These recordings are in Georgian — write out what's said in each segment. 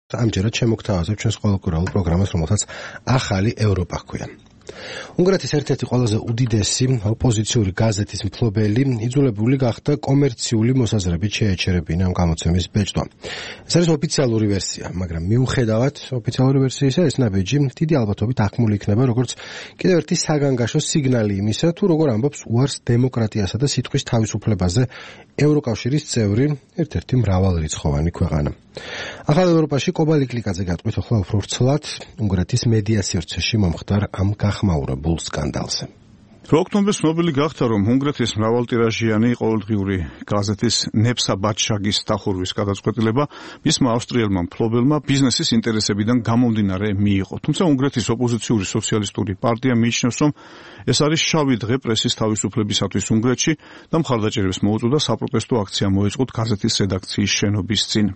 ამჯერად შემოგთავაზებ ჩვენს ყოველკვირეულ პროგრამას, რომელსაც ახალი ევროპა ჰქვია. უნგრეთის ერთ-ერთი ყველაზე უდიდესი ოპოზიციური გაზეთის მფლობელი იძულებული გახდა კომერციული მოსაზრებით შეეჩერებინა ამ გამოცემის ბეჭდვა. ეს არის ოფიციალური ვერსია, მაგრამ მიუხედავად ოფიციალური ვერსიისა, ეს ნაბიჯი დიდი ალბათობით აღქმული იქნება როგორც კიდევ ერთი საგანგაშო სიგნალი იმისა, თუ როგორ ამბობს უარს დემოკრატიასა და სიტყვის თავისუფლებაზე ევროკავშირის წევრი ერთ-ერთი მრავალრიცხოვანი ქვეყანა. ახალ ევროპაში კობალიკლიკაძე გატყვით ახლა უფრო ვრცლად უნგრეთის მედია სივრცეში მომხდარ ამ გახმაურებულ სკანდალზე. ოქტომბრის ცნობილი გახდა, რომ უნგრეთის მრავალტირაჟიანი ყოველდღიური გაზეთის ნეფსა ბადშაგის დახურვის გადაწყვეტილება მისმა ავსტრიელმა მფლობელმა ბიზნესის ინტერესებიდან გამომდინარე მიიღო. თუმცა უნგრეთის ოპოზიციური სოციალისტური პარტია მიიჩნევს, რომ ეს არის შავი დღე პრესის თავისუფლებისათვის უნგრეთში და მხარდაჭერებს მოუწოდა საპროტესტო აქცია მოეწყოთ გაზეთის რედაქციის შენობის წინ.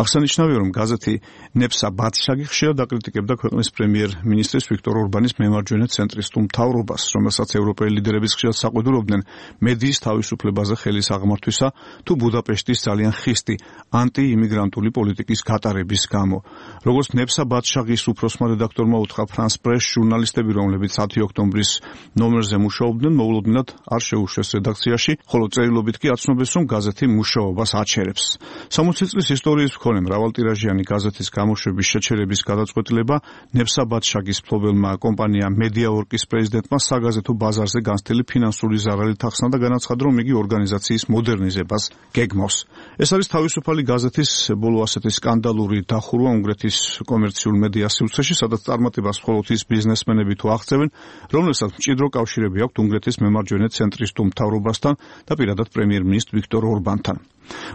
აღსანიშნავია, რომ გაზეთი ნეფსა ბადშაგი ხშირად აკრიტიკებდა ქვეყნის პრემიერ-მინისტრის ვიქტორ ორბანის მემარჯვენე ცენტრისტულ მთავრობას, რომელსაც ევროპელი ლიდერების ხშირად საყვედურობდნენ მედიის თავისუფლებაზე ხელის აღმართვისა თუ ბუდაპეშტის ძალიან ხისტი ანტიიმიგრანტული პოლიტიკის გატარების გამო. როგორც ნეფსა ბადშაგის უფროსმა რედაქტორმა უთხრა ფრანს პრეს, ჟურნალისტები, რომლებიც 10 ოქტომბრის ნომერზე მუშაობდნენ, მოულოდნელად არ შეუშვეს რედაქციაში, ხოლო წერილობით კი აცნობეს, რომ გაზეთი მუშაობას აჩერებს. 60 წლის ისტორიის მქონე მრავალტირაჟიანი გაზეთის გამოშვების შეჩერების გადაწყვეტილება ნეფსა ბადშაგის მფლობელმა კომპანია მედიაორკის პრეზიდენტმა საგაზეთო ბაზარზე განცდილი ფინანსური ზარალით ახსნა და განაცხადა, რომ იგი ორგანიზაციის მოდერნიზებას გეგმავს. ეს არის თავისუფალი გაზეთის ბოლო ასეთი სკანდალური დახურვა უნგრეთის კომერციულ მედია სივრცეში, სადაც წარმატებას მხოლოდ ის ბიზნესმენები თუ აღწევენ, რომლებსაც მჭიდრო კავშირები აქვთ უნგრეთის მემარჯვენე ცენტრისტულ მთავრობასთან და პირადად პრემიერ-მინისტრ ვიქტორ ორბანთან.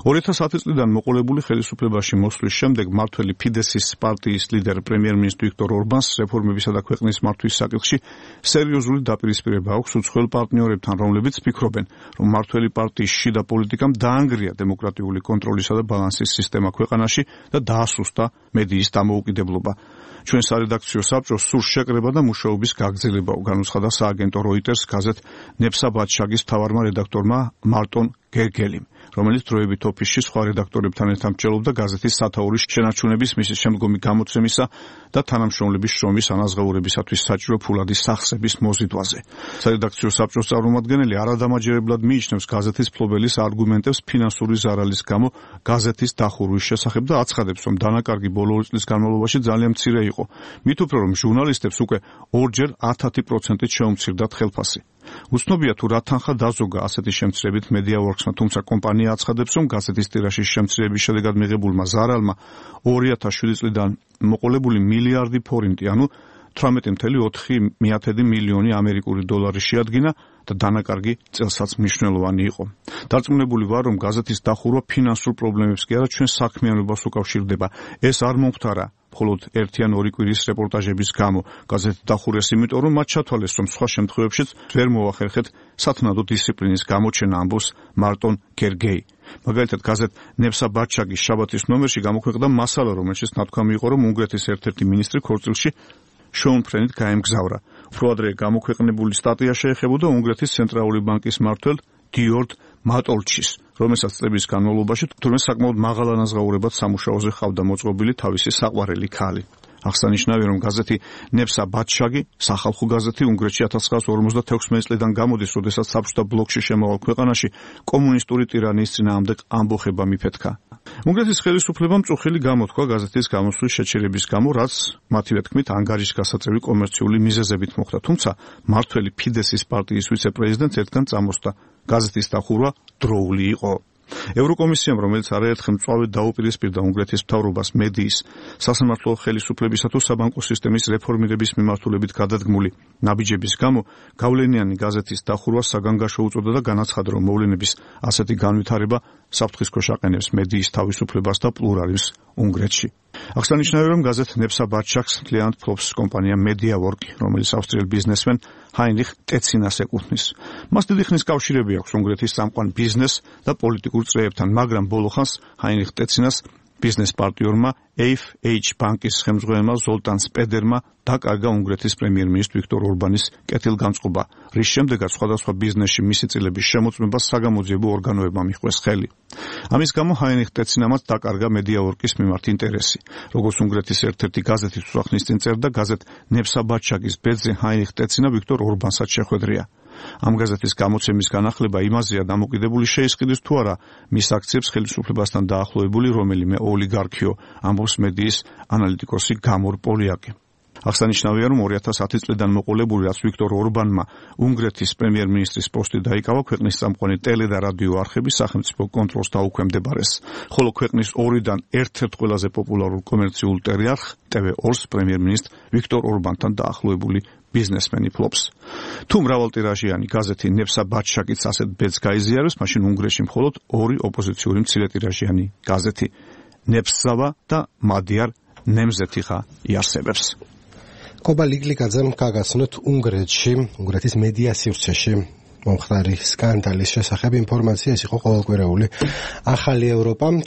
2010 წლიდან მოყოლებული ხელისუფლებაში მოსვლის შემდეგ მმართველი ფიდესის პარტიის ლიდერ პრემიერ-მინისტრ ვიქტორ ორბანს რეფორმებისა და ქვეყნის მართვის საკითხში სერიოზული დაპირისპირება აქვს უცხოელ პარტნიორებთან, რომლებიც ფიქრობენ, რომ მმართველი პარტიის შიდა პოლიტიკამ დაანგრია დემოკრატიული კონტროლისა და ბალანსის სისტემა ქვეყანაში და დაასუსტა მედიის დამოუკიდებლობა. ჩვენ სარედაქციო საბჭოს სურს შეკრება და მუშაობის გაგრძელება, განუცხადა სააგენტო როიტერს გაზეთ ნეფსა ბადშაგის მთავარმა რედაქტორმა მარტონ გერგელიმ, რომელიც დროებით ოფისში სხვა რედაქტორებთან ერთად მრჩევლობდა გაზეთის სათაურის შენარჩუნების მისის შემდგომი გამოცემისა და თანამშრომლების შრომის ანაზღაურებისათვის საჭირო ფულადის სახსების მოზიდვაზე. სარედაქციო საბჭოს წარმომადგენელი არადამაჯერებლად მიიჩნევს გაზეთის მფლობელის არგუმენტებს ფინანსური ზარალის გამო გაზეთის დახურვის შესახებ და აცხადებს, რომ დანაკარგი ბოლო 2 წლის განმავლობაში ძალიან მცირე იყო. მით უფრო, რომ ჟურნალისტებს უკვე 2-ჯერ 10% შეუმცირდათ ხელფასი. უცნობია თუ რა თანხა დაზოგა ასეთი შემცირებით მედიაორკსმა, თუმცა კომპანია აცხადებს, რომ გაზეთის ტირაჟის შემცირების შედეგად მიღებულმა ზარალმა 2007 წლიდან მოყოლებული მილიარდი ფორინტი, ანუ 18,4 მილიონი ამერიკული დოლარი შეადგინა და დანაკარგი წელსაც მნიშვნელოვანი იყო. დარწმუნებული ვარ, რომ გაზეთის დახურვა ფინანსურ პრობლემებს კი არა, ჩვენ საქმიანობას უკავშირდება. ეს არ მომხდარა მხოლოდ 1 ან 2 კვირის რეპორტაჟების გამო. გაზეთი დახურეს იმიტომ, რომ მათ ჩათვალეს, რომ სხვა შემთხვევებშიც ვერ მოახერხეთ სათნადო დისციპლინის გამოჩენა, ამბობს მარტონ გერგეი. მაგალითად, გაზეთ ნეფსა ბადშაგის შაბათის ნომერში გამოქვეყნდა მასალა, რომელშიც ნათქვამი იყო, რომ უნგრეთის ერთ-ერთი მინისტრი ქორწილში შოუმფრენით გაემგზავრა. უფრო ადრე გამოქვეყნებული სტატია შეეხებოდა უნგრეთის ცენტრალური ბანკის მმართველ დიორდ მატოლჩის, რომელსაც წლების განმავლობაში თურმე საკმაოდ მაღალ ანაზღაურებად სამუშაოზე ჰყავდა მოწყობილი თავისი საყვარელი ქალი. აღსანიშნავია, რომ გაზეთი ნეფსა ბადშაგი, სახალხო გაზეთი უნგრეთში 1956 წლიდან გამოდის, როდესაც საბჭოთა ბლოკში შემავალ ქვეყანაში კომუნისტური ტირანიის წინააღმდეგ ამბოხება მიფეთქა. უნგრეთის ხელისუფლებამ წუხილი გამოთქვა გაზეთის გამოსვლის შეჩერების გამო, რაც მათივე თქმით ანგარიშგასაწევი კომერციული მიზეზებით მოხდა, თუმცა მმართველი ფიდესის პარტიის ვიცე-პრეზიდენტს ერთგან წამოსდა. გაზეთის დახურვა დროული იყო. ევროკომისიამ, რომელიც არაერთხელ მწვავედ დაუპირისპირდა უნგრეთის მთავრობას მედიის, სასამართლო ხელისუფლებისა თუ საბანკო სისტემის რეფორმირების მიმართულებით გადადგმული ნაბიჯების გამო, გავლენიანი გაზეთის დახურვას საგანგაშო უწოდა და განაცხადა, რომ მოვლენების ასეთი განვითარება საფრთხის ქვეშ აყენებს მედიის თავისუფლებას და პლურალიზმს უნგრეთში. აღსანიშნავია, რომ გაზეთ ნეფსა ბადშაგს მთლიანად ფლობს კომპანია მედიაორკი, რომელიც ავსტრიელ ბიზნესმენ ჰაინრიხ ტეცინას ეკუთვნის. მას დიდი ხნის კავშირები აქვს უნგრეთის წამყვან ბიზნეს და პოლიტიკურ წრეებთან, მაგრამ ბოლო ხანს ჰაინრიხ ტეცინას ბიზნეს პარტნიორმა AFH ბანკის ხელმძღვანელმა ზოლტან სპედერმა დაკარგა უნგრეთის პრემიერ-მინისტრ ვიქტორ ორბანის კეთილგანწყობა, რის შემდეგაც სხვადასხვა ბიზნესში მისი წილების შემოწმებას საგამოძიებო ორგანოებმა მიჰყვეს ხელი. ამის გამო ჰაინრიხ ტეცინამაც დაკარგა მედიაორკის მიმართ ინტერესი. როგორც უნგრეთის ერთ-ერთი გაზეთის უსახნის წინ წერდა, გაზეთ ნებსაბადშაგის ბედზე ჰაინრიხ ტეცინა ვიქტორ ორბანსაც შეხვედრია. ამ გაზეთის გამოცემის განახლება იმაზეა დამოკიდებული შეისყიდეს თუ არა მის აქციებს ხელისუფლებასთან დაახლოებული რომელიმე ოლიგარქიო, ამბობს მედიის ანალიტიკოსი გამორ პოლიაკი. აღსანიშნავია, რომ 2010 წლიდან მოყოლებული, რაც ვიქტორ ორბანმა უნგრეთის პრემიერ-მინისტრის პოსტი დაიკავა, ქვეყნის წამყვანი ტელე და რადიო არხები სახელმწიფო კონტროლს დაუქვემდებარეს, ხოლო ქვეყნის ორიდან ერთ-ერთ ყველაზე პოპულარულ კომერციულ ტელეარხ TV2-ს პრემიერ-მინისტრ ვიქტორ ორბანთან დაახლოებული ბიზნესმენი ფლობს. თუ მრავალტირაჟიანი გაზეთი ნებსაბადშაგიც ასეთ ბედს გაიზიარებს, მაშინ უნგრეთში მხოლოდ ორი ოპოზიციური მცირეტირაჟიანი გაზეთი ნებსავა და მადიარ ნემზეთიხა იარსებებს. კობა ლიგლიკაძემ გაგაცნოთ უნგრეთის მედია სივრცეში მომხდარი სკანდალის შესახებ ინფორმაცია. ეს იყო ყოველკვირეული ახალი ევროპა.